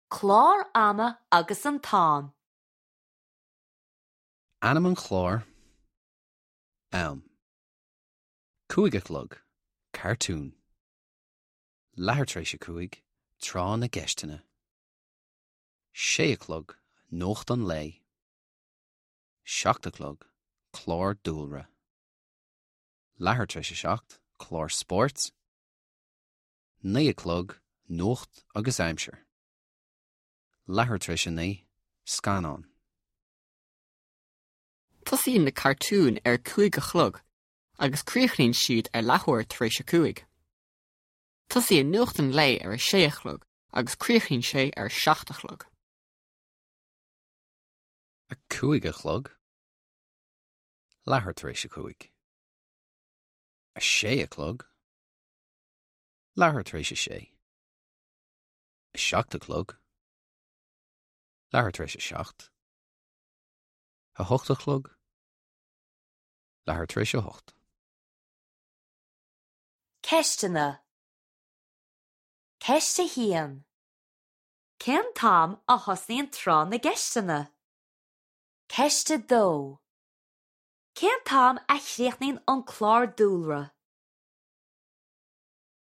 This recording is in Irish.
Clár ama agus an t-am. Ainm an chláir. Am. 5 a chlog, Cartún. Leathuair tar éis a 5, Tráth na gCeisteanna. 6 a chlog, Nuacht an Lae. 7 a chlog, Clár Dúlra. Leathuair tar éis a 7, Clár Spóirt. 9 a chlog, Nuacht agus Aimsir. Leathuair tar éis a 9, Scannán. Tosaíonn na cartúin ar a 5 a chlog agus críochnaíonn siad ar leathuair tar éis a 5. Tosaíonn nuacht an lae ar a 6 a chlog agus críochnaíonn sé ar a 7 a chlog. 5 a chlog, leathuair tar éis a 5. 6 a chlog, leathuair tar éis a 6. 7 a chlog, leathuair tar éis a 7. 8 a chlog, leathuair tar éis a 8. Ceisteanna Ceist 1. Cén t-am a thosnaíonn Tráth na gCeisteanna? Ceist 2. Cén t-am a chríochnaíonn an clár dúlra?